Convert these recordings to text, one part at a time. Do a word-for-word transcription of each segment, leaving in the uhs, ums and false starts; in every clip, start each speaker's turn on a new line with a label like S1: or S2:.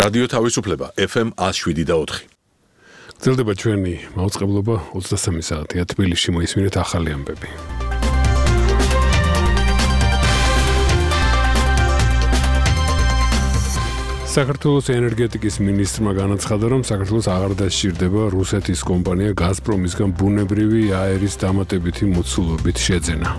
S1: რადიო თავისუფლება F M one oh seven და four.
S2: გრძელდება ჩვენი მაუწყებლობა ოცდასამი საათია თბილისში მოისმინეთ ახალი ამბები. საქართველოს ენერგეტიკის მინისტრმა განაცხადა, რომ საქართველოს აღარ დასჭირდება რუსეთის კომპანია გაზპრომისგან ბუნებრივი აერის დამატებითი მოცულობით შეძენა.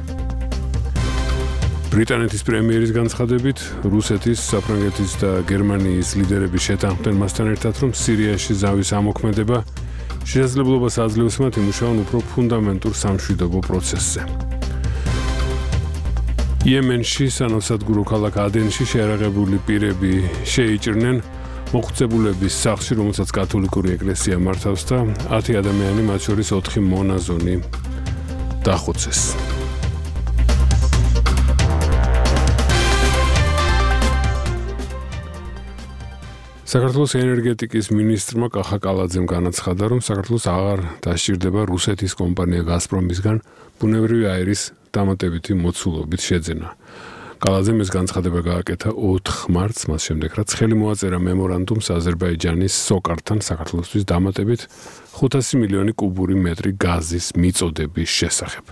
S2: ბრიტანეთის პრემიერის განცხადებით, რუსეთის, საფრანგეთის და გერმანიის ლიდერები შეთანხმდნენ მასთან ერთად, რომ სირიაში ზავის ამოქმედება შესაძლებლობას აძლევს მათ იმუშაონ უფრო ფუნდამენტურ სამშვიდობო პროცესზე. იემენში სანავსადგურო ქალაქ ადენში შეარაღებული პირები შეიჭრნენ მოხუცებულების სახლში, რომელსაც კათოლიკური ეკლესია მართავს და ათი ადამიანი, მათ შორის ოთხი მონაზონი დახოცეს. საქართველოს ენერგეტიკის მინისტრმა კახა კალაძემ განაცხადა, რომ საქართველოს აღარ დასჭირდება რუსეთის კომპანია გაზპრომისგან ბუნებრივი აერის დამატებითი მოცულობით შეძენა. კალაძემ ეს განცხადება გააკეთა ოთხ მარტს, მას შემდეგ რაც ხელი მოაწერა მემორანდუმს აზერბაიჯანის სოკართან საქართველოსთვის დამატებით ხუთასი მილიონი კუბური მეტრი გაზის მიწოდების შესახებ.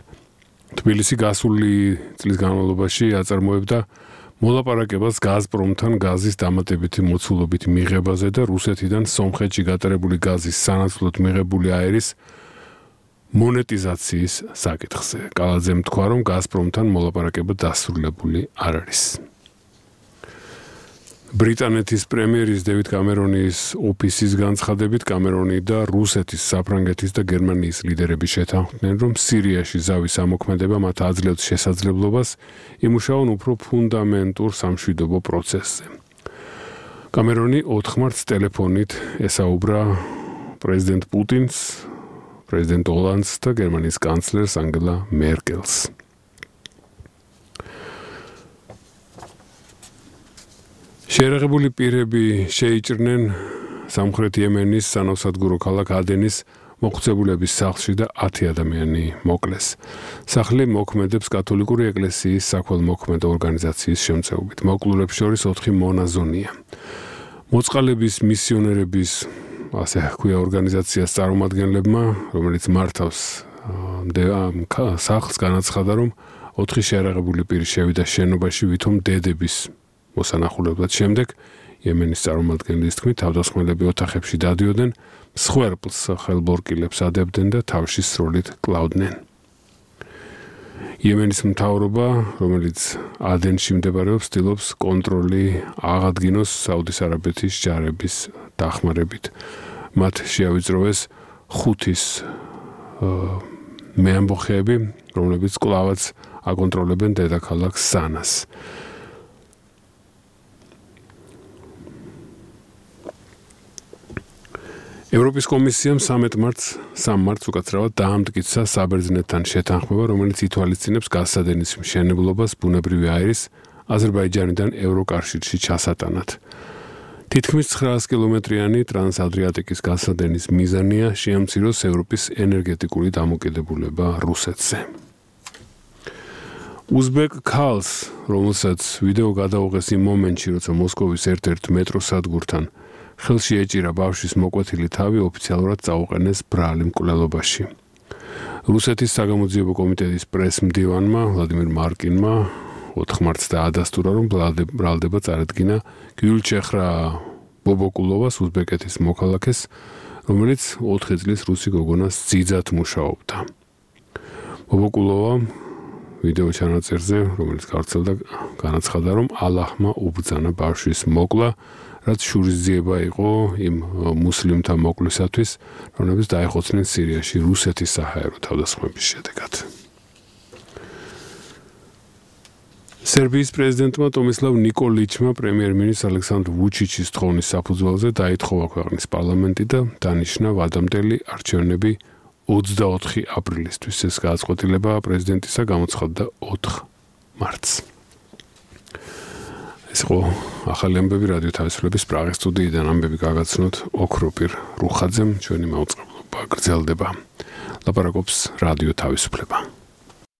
S2: თბილისი გასული წლის განმავლობაში აწარმოებდა მოლაპარაკებას გაზპრომთან გაზის დამატებითი მოცულობით მიღებაზე და რუსეთიდან სომხეთში გატარებული გაზის სანაცვლოდ მიღებული აერის მონეტიზაციის საკითხზე. კალაძემ თქვა, რომ გაზპრომთან მოლაპარაკება დასრულებული არ არის. ბრიტანეთის პრემიერის დევიდ კამერონის ოფისის განცხადებით, კამერონი და რუსეთის, საფრანგეთის და გერმანიის ლიდერები შეთანხმდნენ, რომ სირიაში ზავის ამოქმედება მათ აძლევს შესაძლებლობას იმუშაონ უფრო ფუნდამენტურ სამშვიდობო პროცესზე. კამერონი ოთხ მარტს ტელეფონით ესაუბრა პრეზიდენტ პუტინს, პრეზიდენტ ოლანდს და გერმანიის კანცლერს ანგელა მერკელს. შეერაღებული პირები შეიჭრნენ სამხრეთ იემენის სანავსადგურო ქალაქ ადენის მოხუცებულების სახლში და ათი ადამიანი მოკლეს. სახლი მოქმედებს კათოლიკური ეკლესიის საქველმოქმედო ორგანიზაციის შემწეობით. მოკლულებს შორის ოთხი მონაზონია. მოწყალების მისიონერების ასე ჰქვია ორგანიზაციას წარმომადგენლებმა, რომელიც მართავს სახლს, განაცხადა, რომ ოთხი შეარაღებული პირი შევიდა შენობაში ვითომ დედების მოსანახულებლად. შემდეგ იემენის წარმომადგენლის თქმით, თავდასხმელები ოთახებში დადიოდნენ, მსხვერპლს ხელბორკილებს ადებდნენ და თავში სროლით კლავდნენ. იემენის მთავრობა, რომელიც ადენში მდებარეობს, ცდილობს კონტროლი აღადგინოს საუდის არაბეთის ჯარების დახმარებით. მათ შეავიწროვეს ხუთის მეამბოხეები, რომლებიც კლავაც აკონტროლებენ დედაქალაქ სანას. ევროპის კომისიამ სამი მარტს უკაცრავად დაამტკიცა საბერძნეთთან შეთანხმება, რომელიც ითვალისწინებს გაზსადენის მშენებლობას ბუნებრივი აერის აზერბაიჯანიდან ევროკავშირში ჩასატანად. თითქმის ცხრაას კილომეტრიანი ტრანსადრიატიკის გაზსადენის მიზანია შეამციროს ევროპის ენერგეტიკული დამოკიდებულება რუსეთზე. უზბეკ ქალს, რომელსაც ვიდეო გადაუღეს იმ მომენტში, როცა მოსკოვის ერთ-ერთ მეტროსადგურთან ხელში ეჭირა ბავშვის მოკვეთილი თავი, ოფიციალურად წაუყენეს ბრალი მკვლელობაში. რუსეთის საგამოძიებო კომიტეტის პრესმდივანმა ვლადიმირ მარკინმა ოთხ მარტს დაადასტურა, რომ ბრალდება წარადგინა გიულჩეხრა ბობოკულოვას, უზბეკეთის მოქალაქეს, რომელიც ოთხი წლის რუსი გოგონას ძიძად მუშაობდა. ბობოკულოვა ვიდეო ჩანაწერზე, რომელიც გავრცელდა, განაცხადა, რომ ალაჰმა უბრძანა ბავშვის მოკლა, რაც შურისძიება იყო იმ მუსლიმთა მოკლისათვის, რომლებიც დაეხოცნენ სირიაში რუსეთის საჰაერო თავდასხმების შედეგად. სერბიის პრეზიდენტმა ტომისლავ ნიკოლიჩმა პრემიერ-მინისტრ ალექსანდრ ვუჩიჩის თხოვნის საფუძველზე დაითხოვა ქვეყნის პარლამენტი და დანიშნა ვადამდელი არჩევნები ოცდაოთხი აპრილისთვის. ეს გადაწყვეტილება პრეზიდენტისა გამოცხადდა ოთხ მარტს. ეს იყო ახალი ამბები რადიო თავისუფლების პრაღის სტუდიიდან. ამბები გაგაცნოთ ოქროპირ რუხაძემ. ჩვენი მაუწყებლობა გრძელდება. ლაპარაკობს რადიო თავისუფლება.